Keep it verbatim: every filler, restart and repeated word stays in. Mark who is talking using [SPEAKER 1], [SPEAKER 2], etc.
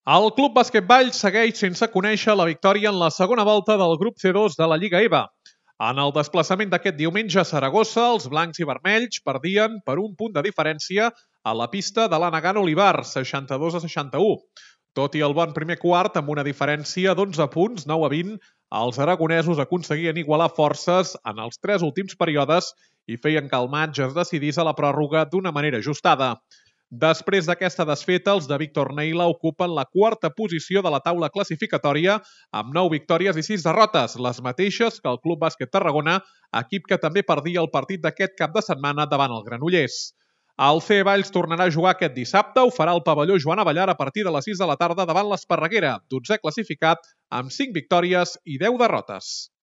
[SPEAKER 1] El Club Bàsquet Valls segueix sense conèixer la victòria en la segona volta del grup C dos de la Lliga E V A. En el desplaçament d'aquest diumenge a Saragossa, els blancs i vermells perdien per un punt de diferència a la pista de l'Anagan Olivar, seixanta-dos a seixanta-u. Tot i el bon primer quart, amb una diferència d'onze punts, nou a vint, els aragonesos aconseguien igualar forces en els tres últims períodes i feien que el matx es decidís a la pròrroga d'una manera ajustada. Després d'aquesta desfeta, els de Víctor Neila ocupen la quarta posició de la taula classificatòria amb nou victòries i sis derrotes, les mateixes que el Club Bàsquet Tarragona, equip que també perdia el partit d'aquest cap de setmana davant el Granollers. El C E Valls tornarà a jugar aquest dissabte, ho farà al pavelló Joan Abellar a partir de les sis de la tarda davant l'Esparreguera, dotzè classificat amb cinc victòries i deu derrotes.